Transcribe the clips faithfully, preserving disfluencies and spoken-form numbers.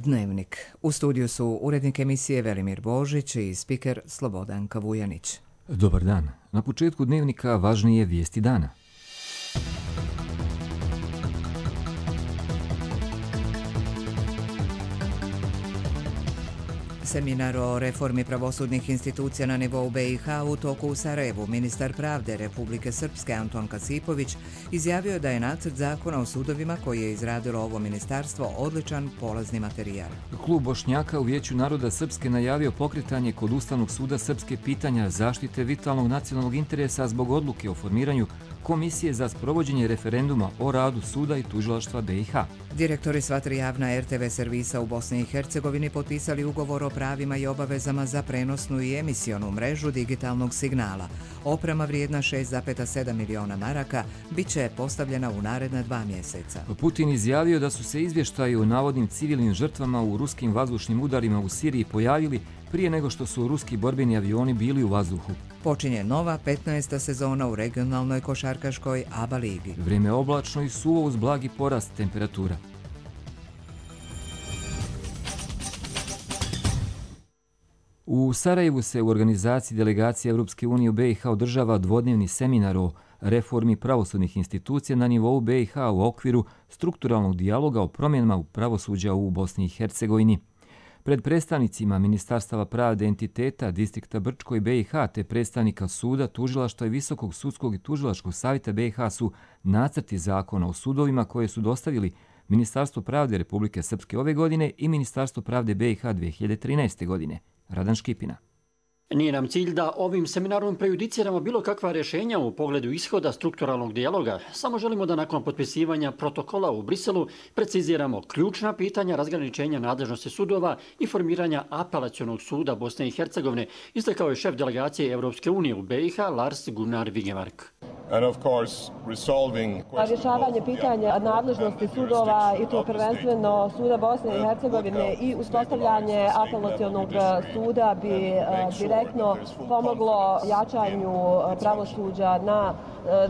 Dnevnik. U studiju su urednik emisije Velimir Božić i spiker Slobodanka Vujanić. Dobar dan. Na početku Dnevnika važnije vijesti dana. Seminar o reformi pravosudnih institucija na nivou B i H u toku u Sarajevu. Ministar pravde Republike Srpske Anton Kasipović izjavio je da je nacrt zakona o sudovima koji je izradilo ovo ministarstvo odličan polazni materijal. Klub Bošnjaka u Vijeću naroda Srpske najavio pokretanje kod Ustavnog suda Srpske pitanja zaštite vitalnog nacionalnog interesa zbog odluke o formiranju Komisije za sprovođenje referenduma o radu suda i tužilaštva B i H. Direktori sva tri javna R T V servisa u Bosni i Hercegovini potpisali ugovor o pravima i obavezama za prenosnu i emisionu mrežu digitalnog signala. Oprema vrijedna šest zarez sedam miliona maraka bit će postavljena u naredna dva mjeseca. Putin izjavio da su se izvještaji o navodnim civilnim žrtvama u ruskim vazdušnim udarima u Siriji pojavili prije nego što su ruski borbeni avioni bili u vazduhu. Počinje nova petnaesta sezona u regionalnoj košarkaškoj A B A ligi. Vrijeme oblačno i suvo uz blagi porast temperatura. U Sarajevu se u organizaciji delegacije Europske unije u B i H održava dvodnevni seminar o reformi pravosudnih institucija na nivou B i H u okviru strukturalnog dijaloga o promjenama u pravosuđa u Bosni i Hercegovini. Pred predstavnicima Ministarstava pravde entiteta distrikta Brčko i B i H te predstavnika suda, tužilaštva i Visokog sudskog i tužilačkog savjeta B i H su nacrti zakona o sudovima koje su dostavili Ministarstvo pravde Republike Srpske ove godine i Ministarstvo pravde B i H dvije hiljade trinaeste. godine. Radan Škipina. Nije nam cilj da ovim seminarom prejudiciramo bilo kakva rješenja u pogledu ishoda strukturalnog dijaloga. Samo želimo da nakon potpisivanja protokola u Briselu preciziramo ključna pitanja razgraničenja nadležnosti sudova i formiranja apelacionog suda Bosne i Hercegovine, istakao je šef delegacije Europske unije u B i H Lars Gunnar Vigemark. Rješavanje pitanja nadležnosti sudova i to prvenstveno suda Bosne i Hercegovine i uspostavljanje apelacionog suda bi direktno pomoglo jačanju pravosuđa na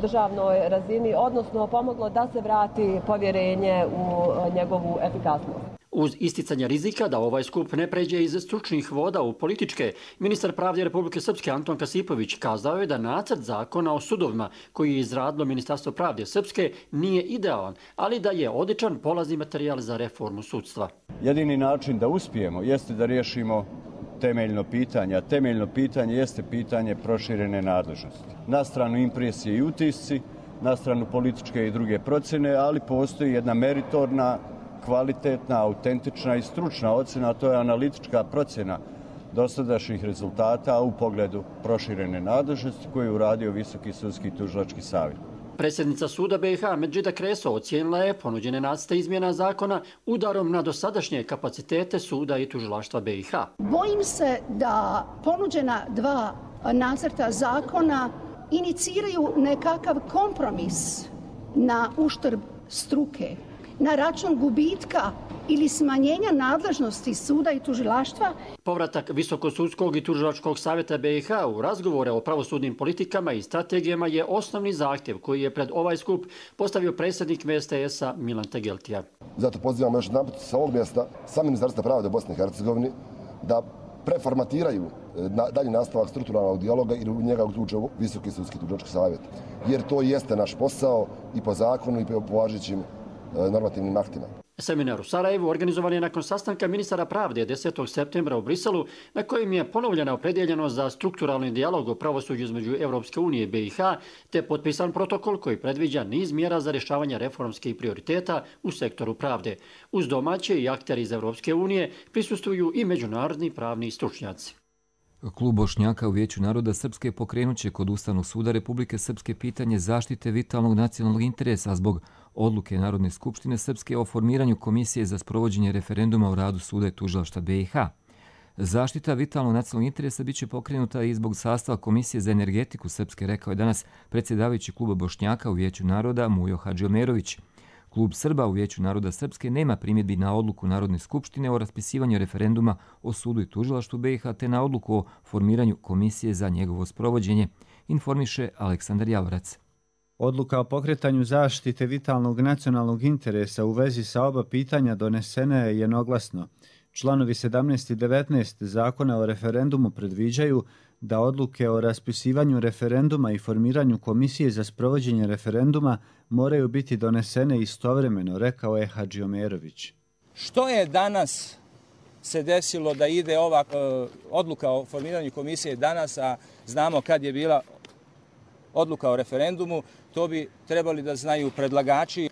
državnoj razini, odnosno pomoglo da se vrati povjerenje u njegovu efikasnost. Uz isticanje rizika da ovaj skup ne pređe iz stručnih voda u političke, ministar pravde Republike Srpske Anton Kasipović kazao je da nacrt zakona o sudovima koji je izradilo Ministarstvo pravde Srpske nije idealan, ali da je odličan polazni materijal za reformu sudstva. Jedini način da uspijemo jeste da riješimo temeljno pitanje, a temeljno pitanje jeste pitanje proširene nadležnosti. Na stranu impresije i utisci, na stranu političke i druge procjene, ali postoji jedna meritorna, kvalitetna, autentična i stručna ocjena, a to je analitička procjena dosadašnjih rezultata u pogledu proširene nadležnosti koju je uradio Visoki sudski i tužilački savjet. Predsjednica suda B i H Medžida Kreso ocijenila je ponuđene nacrte izmjena zakona udarom na dosadašnje kapacitete suda i tužilaštva B i H. Bojim se da ponuđena dva nacrta zakona iniciraju nekakav kompromis na uštrb struke, na račun gubitka ili smanjenja nadležnosti suda i tužilaštva. Povratak Visokosudskog i tužilačkog savjeta B i H u razgovore o pravosudnim politikama i strategijama je osnovni zahtjev koji je pred ovaj skup postavio predsjednik V S T S-a Milan Tegeltija. Zato pozivamo još jedanput sa ovog mjesta sa Ministarstva pravde Bosne i Hercegovine da preformatiraju dalji nastavak strukturalnog dijaloga i u njega uključe Visoki sudski i tužilački savjet. Jer to jeste naš posao i po zakonu i po važećim normativnim aktima. Seminar u Sarajevu organizovan je nakon sastanka ministara pravde desetog septembra u Briselu, na kojem je ponovljena opredjeljenost za strukturalni dijalog o pravosuđu između Europske unije i B i H, te potpisan protokol koji predviđa niz mjera za rješavanje reformskih prioriteta u sektoru pravde. Uz domaće i akteri iz Europske unije prisustvuju i međunarodni pravni stručnjaci. Klub Bošnjaka u Vijeću naroda Srpske pokrenut će kod Ustavnog suda Republike Srpske pitanje zaštite vitalnog nacionalnog interesa zbog odluke Narodne skupštine Srpske o formiranju Komisije za sprovođenje referenduma o radu suda i tužilaštva B i H. Zaštita vitalnog nacionalnog interesa biće pokrenuta i zbog sastava Komisije za energetiku Srpske, rekao je danas predsjedavajući kluba Bošnjaka u Vijeću naroda Mujo Hadžiomerović. Klub Srba u Vijeću naroda Srpske nema primjedbi na odluku Narodne skupštine o raspisivanju referenduma o sudu i tužilaštvu B i H te na odluku o formiranju komisije za njegovo sprovođenje, informiše Aleksandar Javorac. Odluka o pokretanju zaštite vitalnog nacionalnog interesa u vezi sa oba pitanja donesena je jednoglasno. Članovi sedamnaest i devetnaest Zakona o referendumu predviđaju da odluke o raspisivanju referenduma i formiranju komisije za sprovođenje referenduma moraju biti donesene istovremeno, rekao je Hadžiomerović. Što je danas se desilo da ide ova uh, odluka o formiranju komisije danas, a znamo kad je bila odluka o referendumu, to bi trebali da znaju predlagači.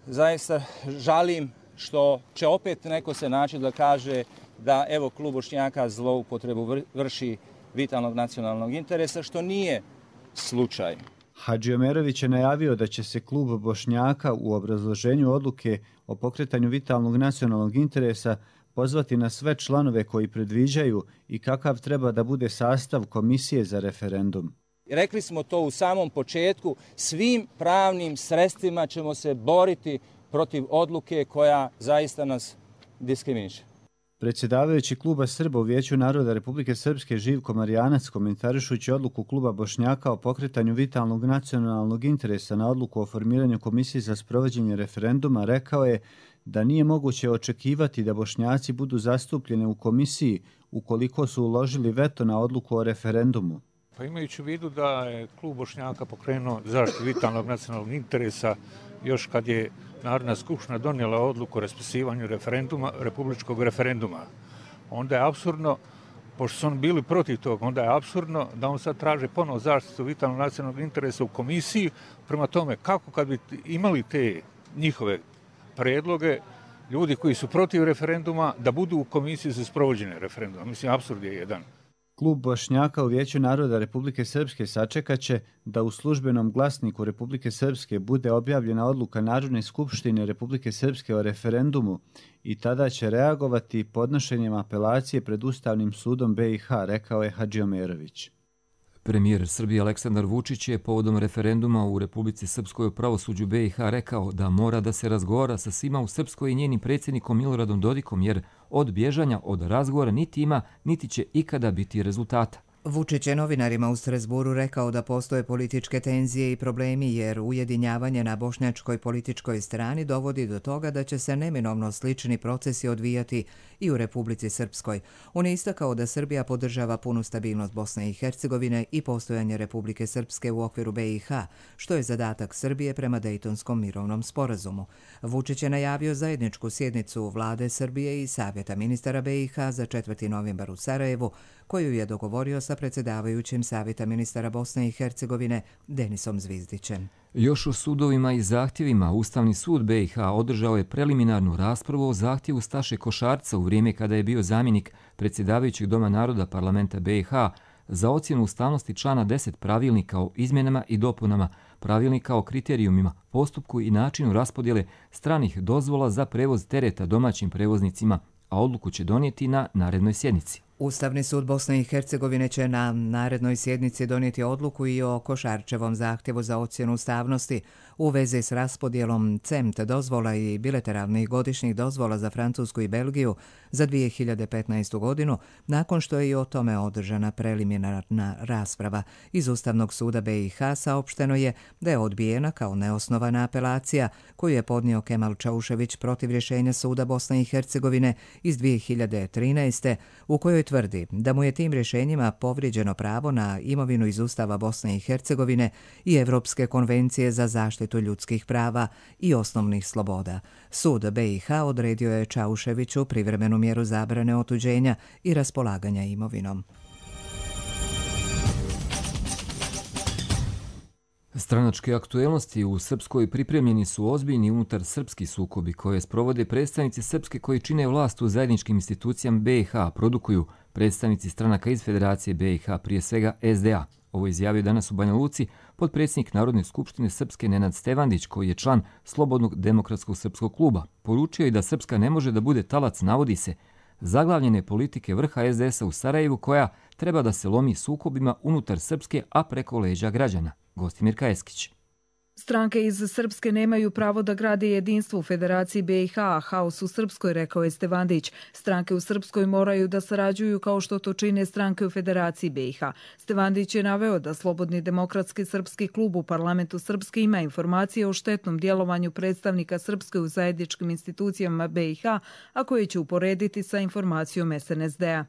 Zaista žalim što će opet neko se naći da kaže da evo klub Bošnjaka zloupotrebu vrši vitalnog nacionalnog interesa, što nije slučaj. Hadžiomerović je najavio da će se klub Bošnjaka u obrazloženju odluke o pokretanju vitalnog nacionalnog interesa pozvati na sve članove koji predviđaju i kakav treba da bude sastav komisije za referendum. Rekli smo to u samom početku, svim pravnim sredstvima ćemo se boriti protiv odluke koja zaista nas diskriminiše. Predsjedavajući kluba Srba u Vijeću naroda Republike Srpske Živko Marijanac, komentarišući odluku kluba Bošnjaka o pokretanju vitalnog nacionalnog interesa na odluku o formiranju komisije za sprovođenje referenduma, rekao je da nije moguće očekivati da Bošnjaci budu zastupljeni u komisiji ukoliko su uložili veto na odluku o referendumu. Pa imajući u vidu da je klub Bošnjaka pokrenuo zaštitu vitalnog nacionalnog interesa još kad je Narodna skupština donijela odluku o raspisivanju referenduma, republičkog referenduma, onda je apsurdno, pošto su oni bili protiv toga, onda je apsurdno da on sad traže ponovo zaštitu vitalnog nacionalnog interesa u komisiji. Prema tome, kako kad bi imali te njihove predloge, ljudi koji su protiv referenduma, da budu u komisiji za sprovođenje referenduma. Mislim, apsurd je jedan. Klub Bošnjaka u Vijeću naroda Republike Srpske sačekaće da u službenom glasniku Republike Srpske bude objavljena odluka Narodne skupštine Republike Srpske o referendumu i tada će reagovati podnošenjem apelacije pred Ustavnim sudom B i H, rekao je Hadžiomerović. Premijer Srbije Aleksandar Vučić je povodom referenduma u Republici Srpskoj o pravosuđu B i H rekao da mora da se razgovara sa svima u Srpskoj i njenim predsjednikom Miloradom Dodikom, jer od bježanja od razgovora niti ima, niti će ikada biti rezultata. Vučić je novinarima u Strazburu rekao da postoje političke tenzije i problemi jer ujedinjavanje na bošnjačkoj političkoj strani dovodi do toga da će se neminovno slični procesi odvijati i u Republici Srpskoj. On je istakao da Srbija podržava punu stabilnost Bosne i Hercegovine i postojanje Republike Srpske u okviru B i H, što je zadatak Srbije prema Dejtonskom mirovnom sporazumu. Vučić je najavio zajedničku sjednicu vlade Srbije i Savjeta ministara B i H za četvrti novembar u Sarajevu, koju je dogovorio sa predsjedavajućim Savjeta ministara Bosne i Hercegovine Denisom Zvizdićem. Još o sudovima i zahtjevima Ustavni sud B i H održao je preliminarnu raspravu o zahtjevu Staše Košarca u vrijeme kada je bio zamjenik predsjedavajućeg Doma naroda parlamenta B i H za ocjenu ustavnosti člana deset pravilnika o izmjenama i dopunama pravilnika o kriterijumima, postupku i načinu raspodjele stranih dozvola za prevoz tereta domaćim prevoznicima, a odluku će donijeti na narednoj sjednici. Ustavni sud Bosne i Hercegovine će na narednoj sjednici donijeti odluku i o Košarčevom zahtjevu za ocjenu ustavnosti u vezi s raspodjelom C E M T dozvola i bilateralnih godišnjih dozvola za Francusku i Belgiju za dvije hiljade petnaestu. godinu, nakon što je i o tome održana preliminarna rasprava. Iz Ustavnog suda B i H saopšteno je da je odbijena kao neosnovana apelacija koju je podnio Kemal Čaušević protiv rješenja suda Bosne i Hercegovine iz dvije hiljade trinaeste. u kojoj tvrdi da mu je tim rješenjima povrijeđeno pravo na imovinu iz Ustava Bosne i Hercegovine i Evropske konvencije za zaštitu ljudskih prava i osnovnih sloboda. Sud B i H odredio je Čauševiću privremenu mjeru zabrane otuđenja i raspolaganja imovinom. Stranačke aktuelnosti u Srpskoj pripremljeni su ozbiljni unutar srpski sukobi koje sprovode predstavnici Srpske koji čine vlast u zajedničkim institucijama B i H, produkuju predstavnici stranaka iz Federacije B i H, prije svega S D A. Ovo izjavio danas u Banja Luci potpredsjednik Narodne skupštine Srpske Nenad Stevandić, koji je član Slobodnog demokratskog srpskog kluba. Poručio je da Srpska ne može da bude talac, navodi se, zaglavljene politike vrha S D S-a u Sarajevu koja treba da se lomi sukobima unutar Srpske, a preko leđa građana. Gostimir Kajeskić. Stranke iz Srpske nemaju pravo da grade jedinstvo u Federaciji be i ha, a haos u Srpskoj, rekao je Stevandić. Stranke u Srpskoj moraju da sarađuju kao što to čine stranke u Federaciji be i ha. Stevandić je naveo da Slobodni demokratski srpski klub u parlamentu Srpske ima informacije o štetnom djelovanju predstavnika Srpske u zajedničkim institucijama be i ha, a koje će uporediti sa informacijom es en es de a.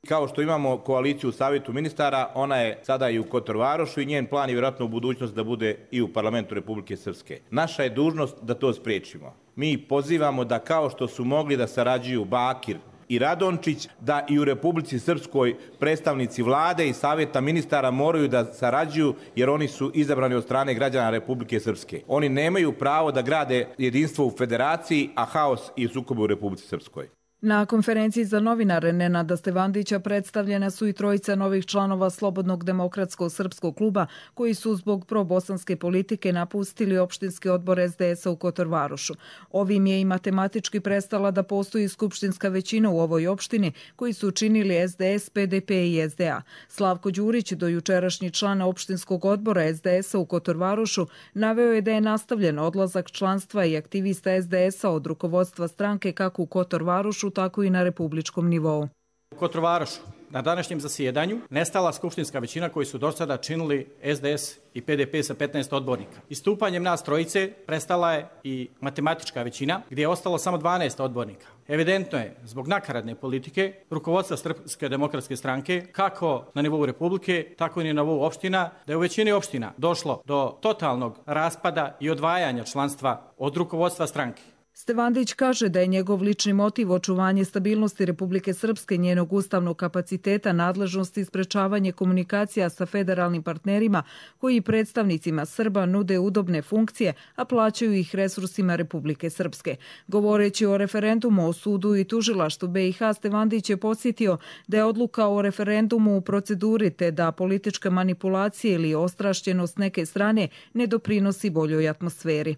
Kao što imamo koaliciju u Savjetu ministara, ona je sada i u Kotorvarošu i njen plan je vjerojatno u budućnosti da bude i u parlamentu Republike Srpske. Naša je dužnost da to spriječimo. Mi pozivamo da kao što su mogli da sarađuju Bakir i Radončić, da i u Republici Srpskoj predstavnici vlade i Savjeta ministara moraju da sarađuju jer oni su izabrani od strane građana Republike Srpske. Oni nemaju pravo da grade jedinstvo u federaciji, a haos i sukobe u Republici Srpskoj. Na konferenciji za novinare Nenada Stevandića predstavljena su i trojica novih članova Slobodnog demokratskog srpskog kluba koji su zbog probosanske politike napustili opštinski odbor es de es a u Kotorvarošu. Ovim je i matematički prestala da postoji skupštinska većina u ovoj opštini koji su učinili es de es, pe de pe i es de a. Slavko Đurić, dojučerašnji član opštinskog odbora es de es a u Kotorvarošu, naveo je da je nastavljen odlazak članstva i aktivista es de es a od rukovodstva stranke kako u Kotorvarošu, tako i na republičkom nivou. U Kotorvarošu na današnjem zasjedanju nestala skupštinska većina koji su do sada činili es de es i pe de pe sa petnaest odbornika. Istupanjem nas trojice prestala je i matematička većina gdje je ostalo samo dvanaest odbornika. Evidentno je, zbog nakaradne politike, rukovodstva Srpske demokratske stranke, kako na nivou Republike, tako i na nivou opština, da je u većini opština došlo do totalnog raspada i odvajanja članstva od rukovodstva stranke. Stevandić kaže da je njegov lični motiv očuvanje stabilnosti Republike Srpske, njenog ustavnog kapaciteta, nadležnosti i sprečavanje komunikacija sa federalnim partnerima koji predstavnicima Srba nude udobne funkcije, a plaćaju ih resursima Republike Srpske. Govoreći o referendumu o sudu i tužilaštvu be i ha, Stevandić je podsjetio da je odluka o referendumu u proceduri te da politička manipulacija ili ostrašćenost neke strane ne doprinosi boljoj atmosferi.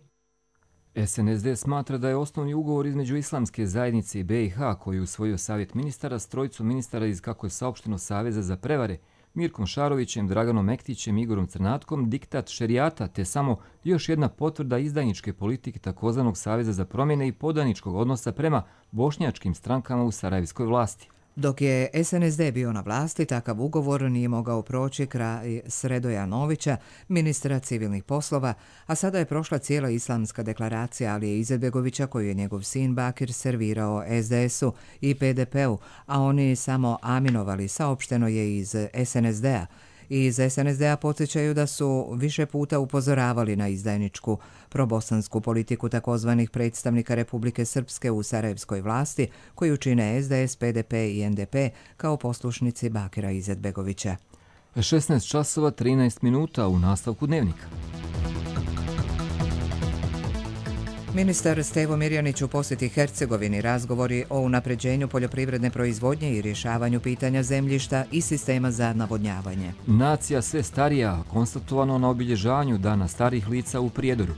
es en es de smatra da je osnovni ugovor između Islamske zajednice i be i ha koji je usvojio Savjet ministara s trojicom ministara iz, kako je saopšteno, Saveza za prevare, Mirkom Šarovićem, Draganom Mektićem, Igorom Crnatkom, diktat šerijata te samo još jedna potvrda izdajničke politike takozvanog Saveza za promjene i podaničkog odnosa prema bošnjačkim strankama u sarajevskoj vlasti. Dok je es en es de bio na vlasti, takav ugovor nije mogao proći kraj Sredoja Novića, ministra civilnih poslova, a sada je prošla cijela islamska deklaracija Alije Izetbegovića koju je njegov sin Bakir servirao es de es u i pe de pe u, a oni samo aminovali, saopšteno je iz es en es de a. Iz es en es de a podsjećaju da su više puta upozoravali na izdajničku probosansku politiku takozvanih predstavnika Republike Srpske u sarajevskoj vlasti koju čine es de es, pe de pe i en de pe kao poslušnici Bakira Izetbegovića. šesnaest časova trinaest minuta u nastavku dnevnika. Ministar Stevo Mirjanić u posjeti Hercegovini, razgovori o unapređenju poljoprivredne proizvodnje i rješavanju pitanja zemljišta i sistema za navodnjavanje. Nacija sve starija, konstatovano na obilježavanju Dana starih lica u Prijedoru.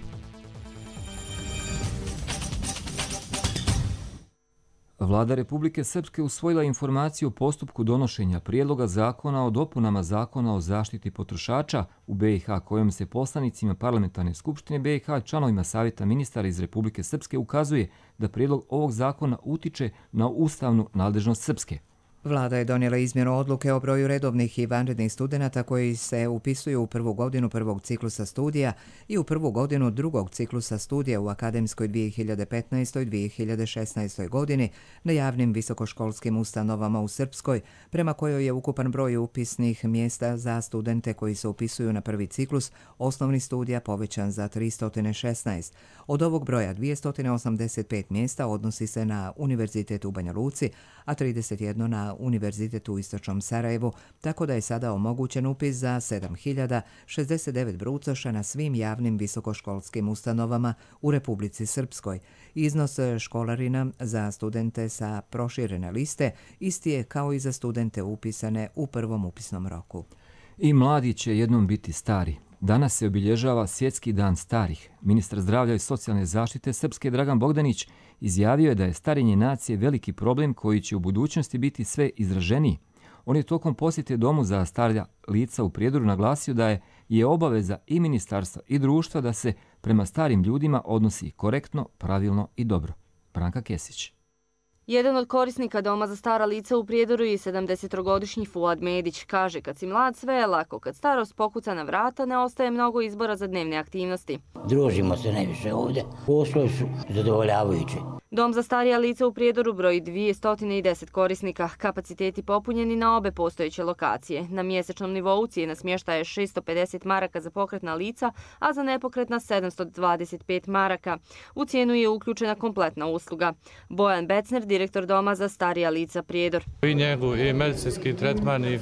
Vlada Republike Srpske usvojila informaciju o postupku donošenja prijedloga zakona o dopunama zakona o zaštiti potrošača u be i ha, kojom se poslanicima parlamentarne skupštine be i ha i članovima Savjeta ministara iz Republike Srpske ukazuje da prijedlog ovog zakona utiče na ustavnu nadležnost Srpske. Vlada je donijela izmjenu odluke o broju redovnih i vanrednih studenata koji se upisuju u prvu godinu prvog ciklusa studija i u prvu godinu drugog ciklusa studija u akademskoj dvije hiljade petnaestoj dvije hiljade šesnaestoj godini na javnim visokoškolskim ustanovama u Srpskoj, prema kojoj je ukupan broj upisnih mjesta za studente koji se upisuju na prvi ciklus osnovnih studija povećan za tristo šesnaest. Od ovog broja dvjesto osamdeset pet mjesta odnosi se na Univerzitet u Banja Luci, a trideset jedno na Univerzitet u Istočnom Sarajevu, tako da je sada omogućen upis za sedam hiljada šezdeset devet brucoša na svim javnim visokoškolskim ustanovama u Republici Srpskoj. Iznos školarina za studente sa proširene liste isti je kao i za studente upisane u prvom upisnom roku. I mladi će jednom biti stari. Danas se obilježava Svjetski dan starih. Ministar zdravlja i socijalne zaštite Srpske Dragan Bogdanić izjavio je da je starenje nacije veliki problem koji će u budućnosti biti sve izraženiji. On je tokom posjete domu za starija lica u Prijedoru naglasio da je je obaveza i ministarstva i društva da se prema starim ljudima odnosi korektno, pravilno i dobro. Branka Kesić. Jedan od korisnika Doma za stara lica u Prijedoru je sedamdesetogodišnji Fuad Medić. Kaže, kad si mlad sve je lako, kad starost pokuca na vrata ne ostaje mnogo izbora za dnevne aktivnosti. Družimo se najviše ovdje, poslovi su zadovoljavajući. Dom za starija lica u Prijedoru broji dvjesto deset korisnika, kapaciteti popunjeni na obe postojeće lokacije. Na mjesečnom nivou cijena smještaja je šesto pedeset maraka za pokretna lica, a za nepokretna sedamsto dvadeset pet maraka. U cijenu je uključena kompletna usluga. Bojan Becner, direktor Doma za starija lica Prijedor. I njegu, i medicinski tretman, i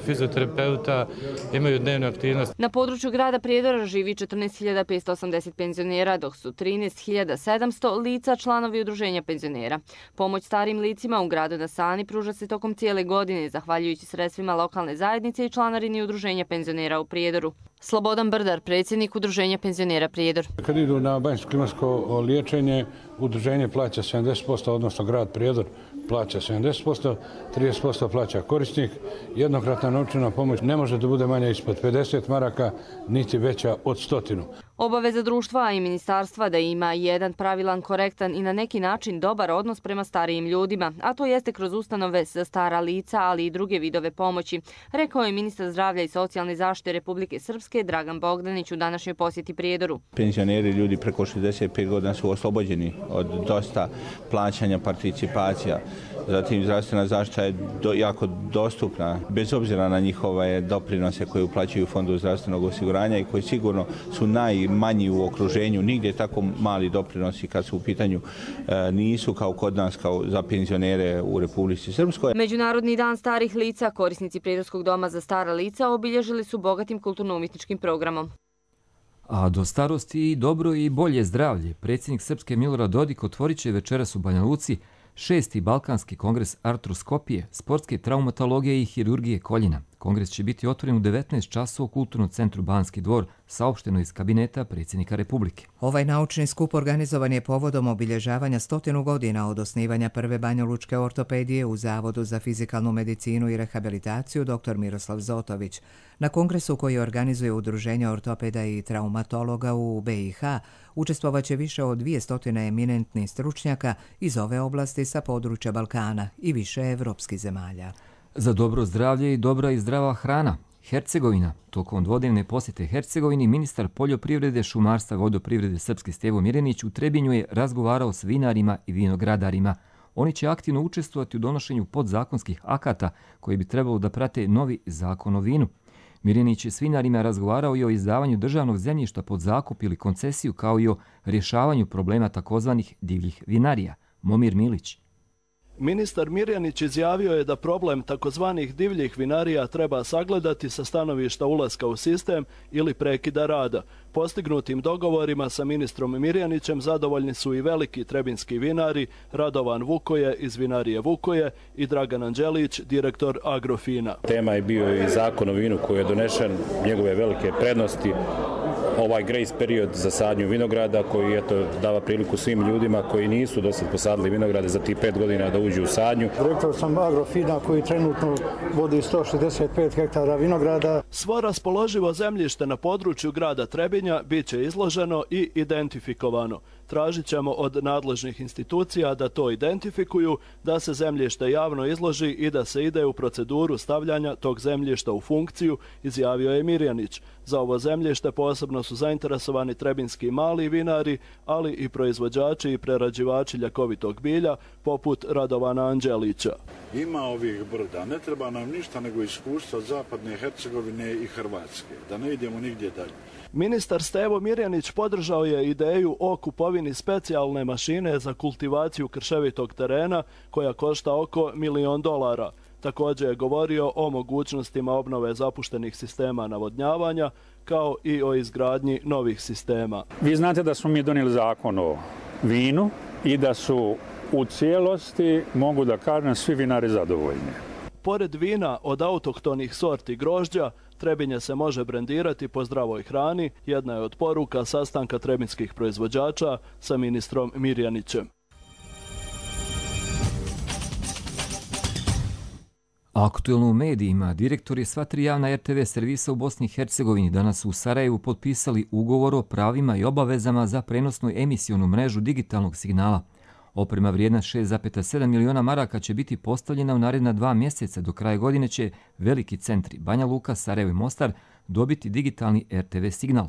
fizioterapeuta imaju dnevnu aktivnost. Na području grada Prijedora živi četrnaest hiljada petsto osamdeset penzionera, dok su trinaest hiljada sedamsto lica članovi udruženja penzionera. Pomoć starim licima u gradu na Sani pruža se tokom cijele godine, zahvaljujući sredstvima lokalne zajednice i članarini udruženja penzionera u Prijedoru. Slobodan Brdar, predsjednik udruženja penzionera Prijedor. Kad idu na banjsko-klimatsko liječenje, udruženje plaća sedamdeset posto, odnosno grad Prijedor plaća sedamdeset posto, trideset posto plaća korisnik. Jednokratna novčana pomoć ne može da bude manja ispod pedeset maraka, niti veća od stotinu. Obaveza društva i ministarstva da ima jedan pravilan, korektan i na neki način dobar odnos prema starijim ljudima, a to jeste kroz ustanove za stara lica, ali i druge vidove pomoći, rekao je ministar zdravlja i socijalne zaštite Republike Srpske Dragan Bogdanić u današnjoj posjeti Prijedoru. Penzioneri, ljudi preko šezdeset pet godina su oslobođeni od dosta plaćanja participacija. Zatim zdravstvena zaštita je do, jako dostupna, bez obzira na njihove doprinose koje uplaćuju Fondu zdravstvenog osiguranja i koji sigurno su najmanji u okruženju. Nigdje tako mali doprinosi kad su u pitanju e, nisu kao kod nas, kao za penzionere u Republici Srpskoj. Međunarodni dan starih lica, korisnici Prijedorskog doma za stara lica obilježili su bogatim kulturno-umjetničkim programom. A do starosti i dobro i bolje zdravlje, predsjednik Srpske Milorad Dodik otvorit će večeras u Banja Luci šesti Balkanski kongres artroskopije, sportske traumatologije i hirurgije koljena. Kongres će biti otvoren u devetnaest časova u Kulturnom centru Banski dvor, saopšteno iz kabineta predsjednika Republike. Ovaj naučni skup organizovan je povodom obilježavanja stotinu godina od osnivanja prve banjalučke ortopedije u Zavodu za fizikalnu medicinu i rehabilitaciju dr. Miroslav Zotović. Na kongresu koji organizuje Udruženje ortopeda i traumatologa u B i H učestvovaće više od dvjesto eminentnih stručnjaka iz ove oblasti sa područja Balkana i više evropskih zemalja. Za dobro zdravlje i dobra i zdrava hrana. Hercegovina. Tokom dvodnevne posjete Hercegovini ministar poljoprivrede, šumarstva i vodoprivrede Srpski Stevo Mirjanić u Trebinju je razgovarao s vinarima i vinogradarima. Oni će aktivno učestvovati u donošenju podzakonskih akata koji bi trebalo da prate novi zakon o vinu. Mirjanić je s vinarima razgovarao i o izdavanju državnog zemljišta pod zakup ili koncesiju, kao i o rješavanju problema takozvanih divljih vinarija. Momir Milić. Ministar Mirjanić izjavio je da problem takozvanih divljih vinarija treba sagledati sa stanovišta ulaska u sistem ili prekida rada. Postignutim dogovorima sa ministrom Mirjanićem zadovoljni su i veliki trebinski vinari Radovan Vukoje iz vinarije Vukoje i Dragan Anđelić, direktor Agrofina. Tema je bio i zakon o vinu koji je donešen, njegove velike prednosti, ovaj grace period za sadnju vinograda koji eto, dava priliku svim ljudima koji nisu dosad posadili vinograde za tih pet godina da uđu u sadnju. Direktor sam Agrofina koji trenutno vodi sto šezdeset pet hektara vinograda. Svo raspoloživo zemljište na području grada Trebinja bit će izloženo i identifikovano. Tražit ćemo od nadležnih institucija da to identifikuju, da se zemljište javno izloži i da se ide u proceduru stavljanja tog zemljišta u funkciju, izjavio je Mirjanić. Za ovo zemljište posebno su zainteresovani trebinski mali vinari, ali i proizvođači i prerađivači ljekovitog bilja, poput Radovana Anđelića. Ima ovih brda, ne treba nam ništa nego iskustva Zapadne Hercegovine i Hrvatske, da ne idemo nigdje dalje. Ministar Stevo Mirjanić podržao je ideju o kupovini specijalne mašine za kultivaciju krševitog terena koja košta oko milion dolara. Također je govorio o mogućnostima obnove zapuštenih sistema navodnjavanja kao i o izgradnji novih sistema. Vi znate da smo mi donijeli zakon o vinu i da su u cijelosti, mogu da kažem, svi vinari zadovoljni. Pored vina od autohtonih sorti grožđa, Trebinje se može brendirati po zdravoj hrani, jedna je od poruka sastanka trebinskih proizvođača sa ministrom Mirjanićem. Aktuelno u medijima, direktori sva tri javna er te ve servisa u Bosni i Hercegovini danas u Sarajevu potpisali ugovor o pravima i obavezama za prenosnu emisionu mrežu digitalnog signala. Oprema vrijedna šest zarez sedam miliona maraka će biti postavljena u naredna dva mjeseca. Do kraja godine će veliki centri Banja Luka, Sarajevo i Mostar dobiti digitalni er te ve signal.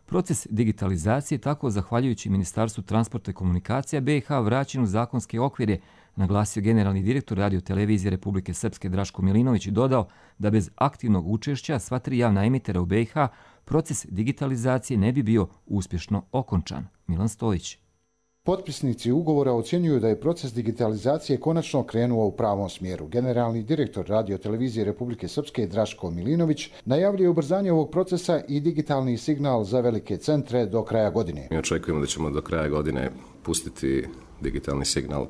Proces digitalizacije tako, zahvaljujući Ministarstvu transporta i komunikacija be i ha, vraćen u zakonske okvire, naglasio generalni direktor Radio-televizije Republike Srpske Draško Milinović i dodao da bez aktivnog učešća sva tri javna emitera u be i ha proces digitalizacije ne bi bio uspješno okončan. Milan Stojić. Potpisnici ugovora ocjenjuju da je proces digitalizacije konačno krenuo u pravom smjeru. Generalni direktor Radio-televizije Republike Srpske Draško Milinović najavljuje ubrzanje ovog procesa i digitalni signal za velike centre do kraja godine. Mi očekujemo da ćemo do kraja godine pustiti digitalni signal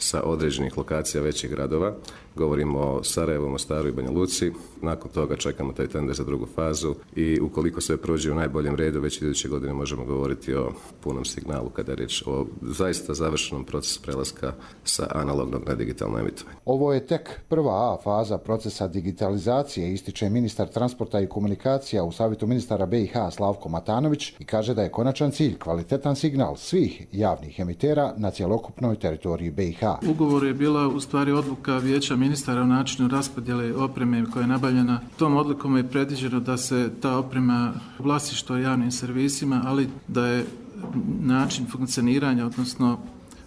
sa određenih lokacija većih gradova. Govorimo o Sarajevu, Mostaru i Banja Luci. Nakon toga čekamo taj tender za drugu fazu i ukoliko sve prođe u najboljem redu, već iduće godine možemo govoriti o punom signalu kada je riječ o zaista završenom procesu prelaska sa analognog na digitalno emitovanje. Ovo je tek prva A faza procesa digitalizacije, ističe ministar transporta i komunikacija u Savjetu ministara be i ha Slavko Matanović i kaže da je konačan cilj kvalitetan signal svih javnih emitera na cjelokupnoj teritoriji be i ha. Ugovor je bila u stvari odluka vijeća ministara o načinu raspodjele opreme koja je nabavljena. Tom odlukom je predviđeno da se ta oprema vlasništvo javnim servisima, ali da je način funkcioniranja, odnosno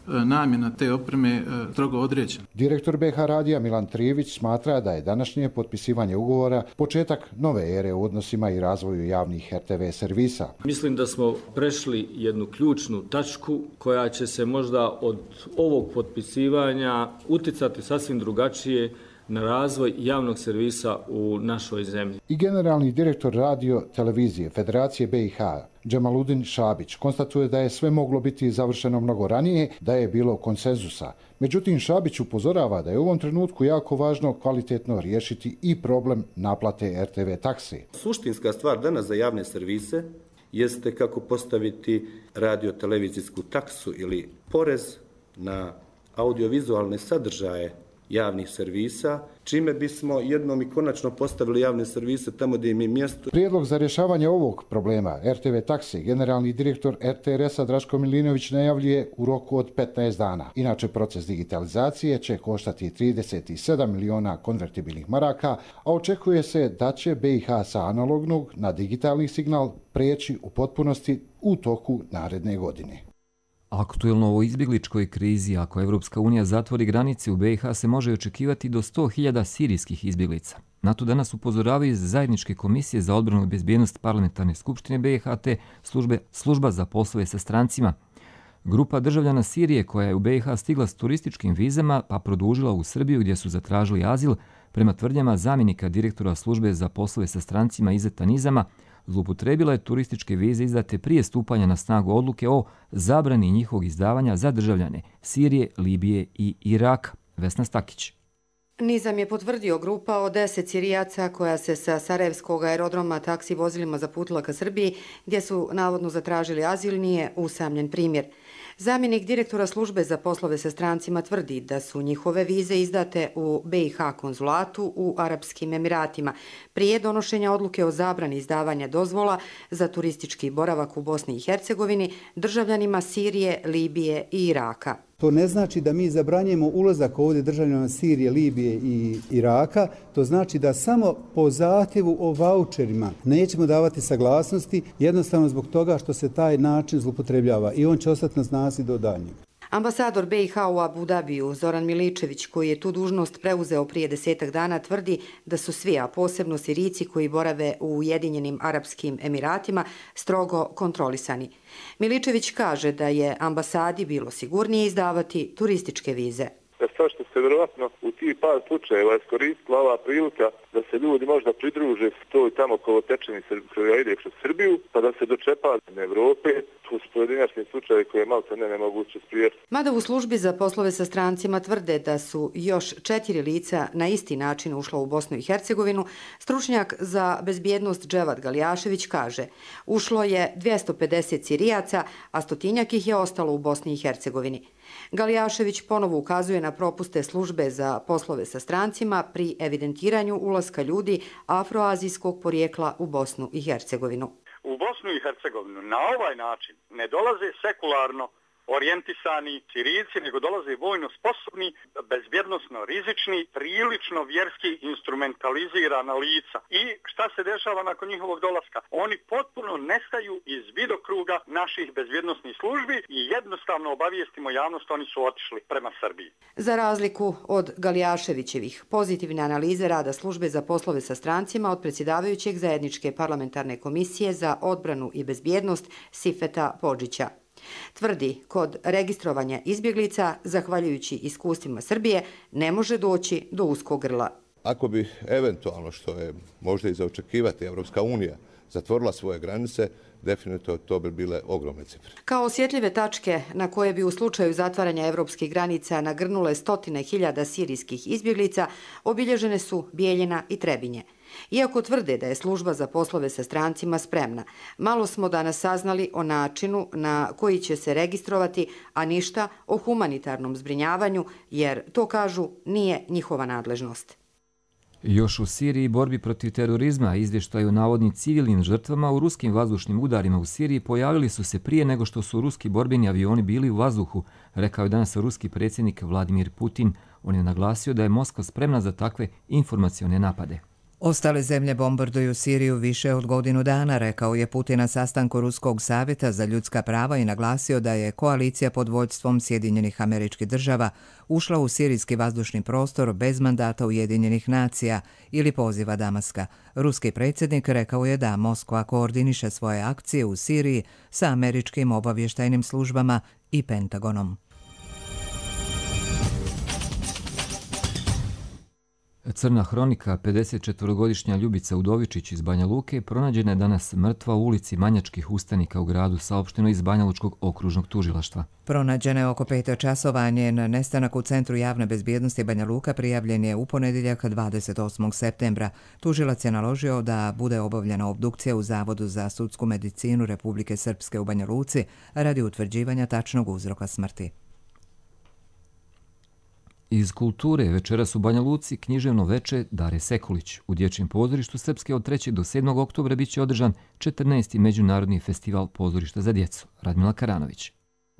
namjena te opreme strogo određena. Direktor be ha radija Milan Trivić smatra da je današnje potpisivanje ugovora početak nove ere u odnosima i razvoju javnih er te ve servisa. Mislim da smo prešli jednu ključnu tačku koja će se možda od ovog potpisivanja uticati sasvim drugačije na razvoj javnog servisa u našoj zemlji. I generalni direktor Radio-televizije Federacije be i ha Džemaludin Šabić konstatuje da je sve moglo biti završeno mnogo ranije, da je bilo konsenzusa. Međutim, Šabić upozorava da je u ovom trenutku jako važno kvalitetno riješiti i problem naplate er te ve takse. Suštinska stvar danas za javne servise jeste kako postaviti radio-televizijsku taksu ili porez na audiovizualne sadržaje javnih servisa, čime bismo jednom i konačno postavili javne servise tamo gdje im je mjesto. Prijedlog za rješavanje ovog problema er te ve takse generalni direktor er te er esa Draško Milinović najavljuje u roku od petnaest dana. Inače, proces digitalizacije će koštati trideset sedam miliona konvertibilnih maraka, a očekuje se da će be i ha sa analognog na digitalni signal prijeći u potpunosti u toku naredne godine. Aktuelno o izbjegličkoj krizi, ako Evropska unija zatvori granice u be i ha, se može očekivati do sto hiljada sirijskih izbjeglica. Na to danas upozoravaju iz Zajedničke komisije za odbranu i bezbjednost Parlamentarne skupštine be i ha te službe, služba za poslove sa strancima. Grupa državljana Sirije koja je u be i ha stigla s turističkim vizama pa produžila u Srbiju gdje su zatražili azil, prema tvrdnjama zamjenika direktora službe za poslove sa strancima Izeta Nizama, zloupotrebila je turističke vize izdate prije stupanja na snagu odluke o zabrani njihovog izdavanja za državljane Sirije, Libije i Iraka. Vesna Stakić. Nizam je potvrdio grupa od deset Sirijaca koja se sa Sarajevskog aerodroma taksi vozilima zaputila ka Srbiji, gdje su navodno zatražili azil, nije usamljen primjer. Zamjenik direktora službe za poslove sa strancima tvrdi da su njihove vize izdate u be i ha konzulatu u Arapskim Emiratima prije donošenja odluke o zabrani izdavanja dozvola za turistički boravak u Bosni i Hercegovini državljanima Sirije, Libije i Iraka. To ne znači da mi zabranjujemo ulazak ovdje državljana Sirije, Libije i Iraka. To znači da samo po zahtjevu o vaučerima nećemo davati saglasnosti, jednostavno zbog toga što se taj način zloupotrebljava i on će ostati na snazi do daljnjeg. Ambasador be i ha u Abu Dabiju, Zoran Miličević, koji je tu dužnost preuzeo prije desetak dana, tvrdi da su svi, a posebno Sirijci koji borave u Ujedinjenim Arapskim Emiratima, strogo kontrolisani. Miličević kaže da je ambasadi bilo sigurnije izdavati turističke vize. Sve što se vjerovatno u tih par slučajeva iskoristila ova prilika da se ljudi možda pridruže toj tamo kolotečeni koja ide kroz Srbiju, pa da se dočepa na Evrope. Tu su pojedinačni slučajevi koje je malo ne nemoguće sprijeti. Mada u službi za poslove sa strancima tvrde da su još četiri lica na isti način ušla u Bosnu i Hercegovinu, stručnjak za bezbjednost Dževad Galjašević kaže ušlo je dvjesto pedeset Sirijaca, a stotinjak ih je ostalo u Bosni i Hercegovini. Galijašević ponovo ukazuje na propuste službe za poslove sa strancima pri evidentiranju ulaska ljudi afroazijskog porijekla u Bosnu i Hercegovinu. U Bosnu i Hercegovinu na ovaj način ne dolaze sekularno orijentisani Sirijci, nego dolaze vojno sposobni, bezbjednosno rizični, prilično vjerski instrumentalizirana lica. I šta se dešava nakon njihovog dolaska? Oni potpuno nestaju iz vidokruga naših bezbjednosnih službi i jednostavno obavijestimo javnost, oni su otišli prema Srbiji. Za razliku od Galijaševićevih pozitivne analize rada službe za poslove sa strancima od predsjedavajućeg zajedničke parlamentarne komisije za odbranu i bezbjednost Sifeta Podžića. Tvrdi, kod registrovanja izbjeglica, zahvaljujući iskustvima Srbije, ne može doći do uskog grla. Ako bi eventualno, što je možda i za očekivati, Evropska unija zatvorila svoje granice, definitivno to bi bile ogromne cifre. Kao osjetljive tačke na koje bi u slučaju zatvaranja evropskih granica nagrnule stotine hiljada sirijskih izbjeglica, obilježene su Bijeljina i Trebinje. Iako tvrde da je služba za poslove sa strancima spremna, malo smo danas saznali o načinu na koji će se registrovati, a ništa o humanitarnom zbrinjavanju, jer to, kažu, nije njihova nadležnost. Još u Siriji borbi protiv terorizma izvještaju o navodnim civilnim žrtvama u ruskim vazdušnim udarima u Siriji pojavili su se prije nego što su ruski borbeni avioni bili u vazduhu, rekao je danas ruski predsjednik Vladimir Putin. On je naglasio da je Moskva spremna za takve informacione napade. Ostale zemlje bombarduju Siriju više od godinu dana, rekao je Putin na sastanku Ruskog savjeta za ljudska prava i naglasio da je koalicija pod vođstvom Sjedinjenih Američkih Država ušla u sirijski vazdušni prostor bez mandata Ujedinjenih nacija ili poziva Damaska. Ruski predsjednik rekao je da Moskva koordiniše svoje akcije u Siriji sa američkim obavještajnim službama i Pentagonom. Crna hronika, pedesetčetvorogodišnja Ljubica Udovičić iz Banja Luke, pronađena je danas mrtva u ulici Manjačkih ustanika u gradu, saopšteno iz Banjalučkog okružnog tužilaštva. Pronađena je oko pet časova, njen nestanak u Centru javne bezbjednosti Banja Luka prijavljen je u ponedjeljak dvadeset osmog septembra. Tužilac je naložio da bude obavljena obdukcija u Zavodu za sudsku medicinu Republike Srpske u Banja Luci radi utvrđivanja tačnog uzroka smrti. Iz kulture večeras u Banja Luci književno veče Dare Sekulić. U Dječjem pozorištu Srpske od trećeg do sedmog oktobra bit će održan četrnaesti Međunarodni festival pozorišta za djecu. Radmila Karanović.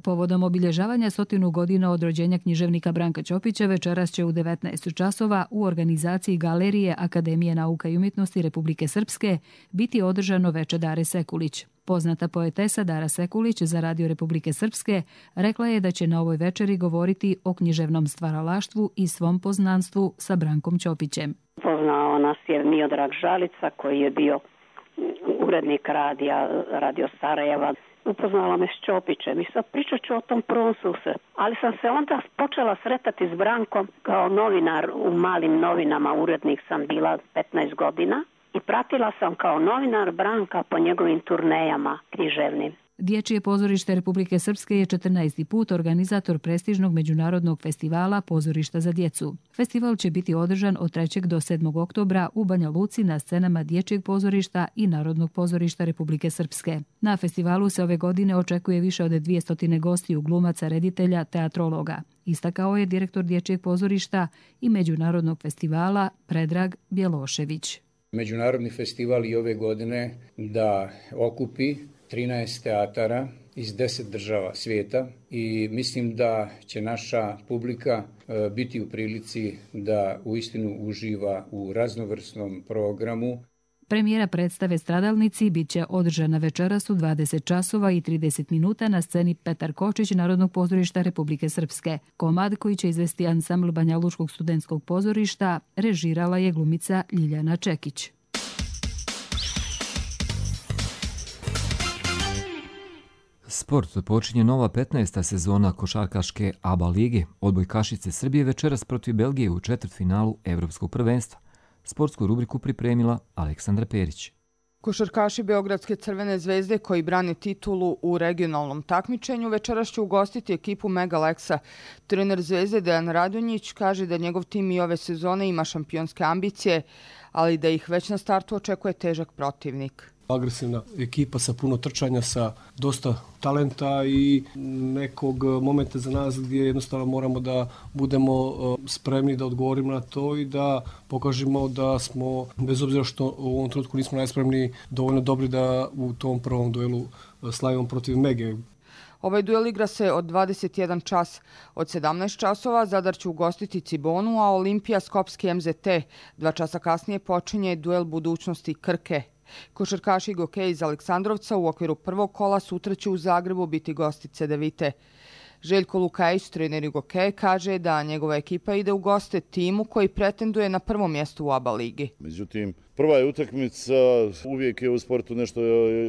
Povodom obilježavanja stotinu godina od rođenja književnika Branka Ćopića večeras će u devetnaest časova u organizaciji Galerije Akademije nauka i umjetnosti Republike Srpske biti održano veče Dare Sekulić. Poznata poetesa Dara Sekulić za Radio Republike Srpske rekla je da će na ovoj večeri govoriti o književnom stvaralaštvu i svom poznanstvu sa Brankom Ćopićem. Poznao nas je Miodrag Žalica koji je bio urednik radija Radio Sarajeva. Upoznala me s Ćopićem i sad pričat ću o tom prvom susretu. Ali sam se onda počela sretati s Brankom kao novinar u malim novinama, urednik sam bila petnaest godina i pratila sam kao novinar Branka po njegovim turnejama književnim. Dječje pozorište Republike Srpske je četrnaesti put organizator prestižnog međunarodnog festivala Pozorišta za djecu. Festival će biti održan od trećeg do sedmog oktobra u Banja Luci na scenama Dječjeg pozorišta i Narodnog pozorišta Republike Srpske. Na festivalu se ove godine očekuje više od dvjesto gostiju, glumaca, reditelja, teatrologa. Istakao je direktor Dječjeg pozorišta i Međunarodnog festivala Predrag Bjelošević. Međunarodni festival i ove godine da okupi trinaest teatara iz deset država svijeta i mislim da će naša publika biti u prilici da uistinu uživa u raznovrsnom programu. Premijera predstave Stradalnici bit će održana večeras u dvadeset časova i trideset minuta na sceni Petar Kočić Narodnog pozorišta Republike Srpske. Komad koji će izvesti ansambl Banjalučkog studentskog pozorišta režirala je glumica Ljiljana Čekić. Sport počinje nova petnaesta sezona košarkaške A B A lige. Odbojkašice Srbije večeras protiv Belgije u četvrtfinalu Evropskog prvenstva. Sportsku rubriku pripremila Aleksandra Perić. Košarkaši Beogradske Crvene zvezde koji brane titulu u regionalnom takmičenju večeras će ugostiti ekipu Mega Lexa. Trener Zvezde Dejan Radonjić kaže da njegov tim i ove sezone ima šampionske ambicije, ali da ih već na startu očekuje težak protivnik. agresivna ekipa sa puno trčanja, sa dosta talenta i nekog momenta za nas gdje jednostavno moramo da budemo spremni da odgovorimo na to i da pokažemo da smo, bez obzira što u ovom trenutku nismo najspremniji, dovoljno dobri da u tom prvom duelu slavimo protiv Mege. Ovaj duel igra se od dvadeset jedan čas. Od sedamnaest časova Zadar će ugostiti Cibonu, a Olimpija Skopski M Z T. Dva časa kasnije počinje duel budućnosti Krke. Košarkaši Gokeja iz Aleksandrovca u okviru prvog kola sutra će u Zagrebu biti gosti Cedevite. Željko Lukajić, trener Gokeja, kaže da njegova ekipa ide u goste timu koji pretenduje na prvo mjesto u A B A ligi. Međutim, prva je utakmica, uvijek je u sportu nešto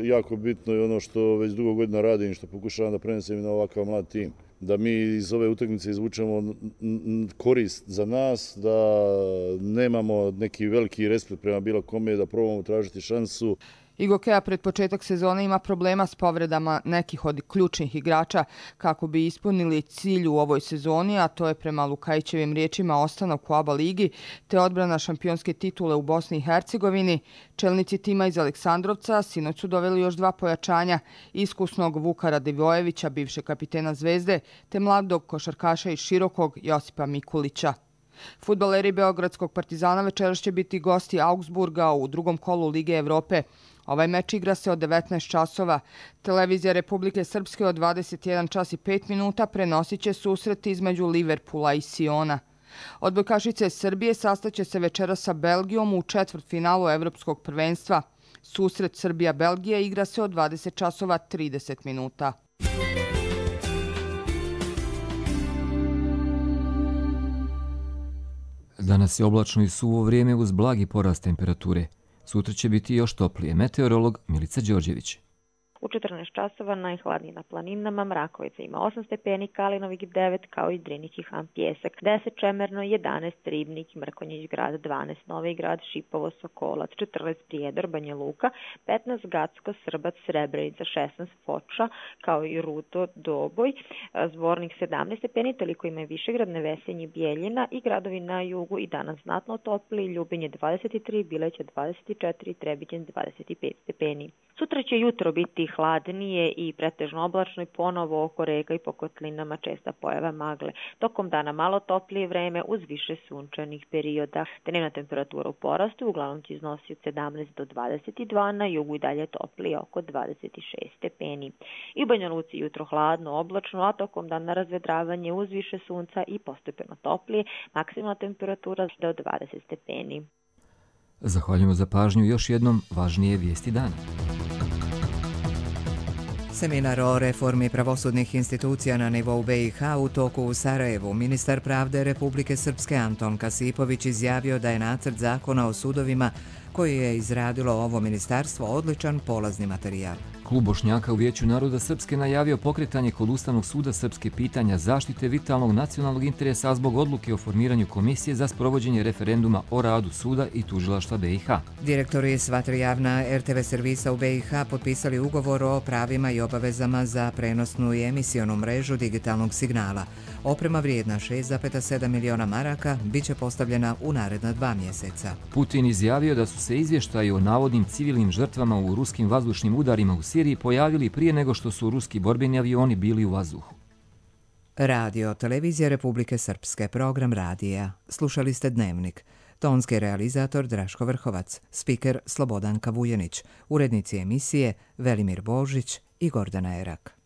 jako bitno i ono što već dugo godina radim i što pokušavam da prenesem na ovakav mlad tim. Da mi iz ove utakmice izvučemo korist za nas, da nemamo neki veliki respekt prema bilo kome, da probamo tražiti šansu. I Gokeja pred početak sezone ima problema s povredama nekih od ključnih igrača kako bi ispunili cilj u ovoj sezoni, a to je prema Lukajićevim riječima ostanak u A B A ligi te odbrana šampionske titule u Bosni i Hercegovini. Čelnici tima iz Aleksandrovca sinoć su doveli još dva pojačanja, iskusnog Vuka Radivojevića, bivšeg kapitena Zvezde, te mladog košarkaša iz Širokog Josipa Mikulića. Fudbaleri Beogradskog Partizana večeras će biti gosti Augsburga u drugom kolu Lige Evrope. Ovaj meč igra se od devetnaest časova. Televizija Republike Srpske od dvadeset jedan čas i pet minuta prenosit će susret između Liverpoola i Siona. Odbojkašice Srbije sastaće se večeras sa Belgijom u četvrtfinalu Evropskog prvenstva. Susret Srbija-Belgija igra se od dvadeset časova trideset minuta. Danas je oblačno i suvo vrijeme uz blagi porast temperature. Sutra će biti još toplije. Meteorolog Milica Đorđević. U četrnaest časova najhladnije na planinama, Mrakovica ima osam stepeni, Kalinovik devet, kao i Drinih i Han Pjesak, deset Čemerno, jedanaest Ribnik, Mrkonjić grad, dvanaest Novi grad, Šipovo, Sokolac, četrnaest Prijedor, Banja Luka, petnaest Gacko, Srbac, Srebrenica, šesnaest Foča, kao i Rudo, Doboj, Zvornik sedamnaest stepeni, toliko ima i Višegrad, Nevesenje, Bijeljina i gradovi na jugu i danas znatno topli, Ljubinje dvadeset tri, Bileće dvadeset četiri, Trebinje dvadeset pet stepeni. Sutra će jutro biti hladnije i pretežno oblačno i ponovo oko reka i po kotlinama česta pojava magle. Tokom dana malo toplije vreme uz više sunčanih perioda. Dnevna temperatura u porastu uglavnom će iznositi od sedamnaest do dvadeset dva, na jugu i dalje toplije oko dvadeset šest stepeni. I u Banja Luci jutro hladno, oblačno, a tokom dana razvedravanje uz više sunca i postepeno toplije, maksimalna temperatura do dvadeset stepeni. Zahvaljujemo za pažnju, još jednom važnije vijesti dana. Seminar o reformi pravosudnih institucija na nivou B i H u toku u Sarajevu. Ministar pravde Republike Srpske Anton Kasipović izjavio da je nacrt zakona o sudovima koji je izradilo ovo ministarstvo odličan polazni materijal. Klub Bošnjaka u Vijeću naroda Srpske najavio pokretanje kod Ustavnog suda Srpske pitanja zaštite vitalnog nacionalnog interesa zbog odluke o formiranju komisije za sprovođenje referenduma o radu suda i tužilaštva B i H. Direktori sva tri javna R T V servisa u B i H potpisali ugovor o pravima i obavezama za prenosnu i emisionu mrežu digitalnog signala. Oprema vrijedna šest zarez sedam miliona maraka bit će postavljena u naredna dva mjeseca. Putin izjavio da su se izvještaji o navodnim civilnim žrtvama u ruskim vazdušnim udarima u Siriji pojavili prije nego što su ruski borbeni avioni bili u vazduhu. Radio, televizija Republike Srpske, program radija. Slušali ste Dnevnik. Tonski realizator Draško Vrhovac, spiker Slobodanka Vujenić, urednici emisije Velimir Božić i Gordana Erak.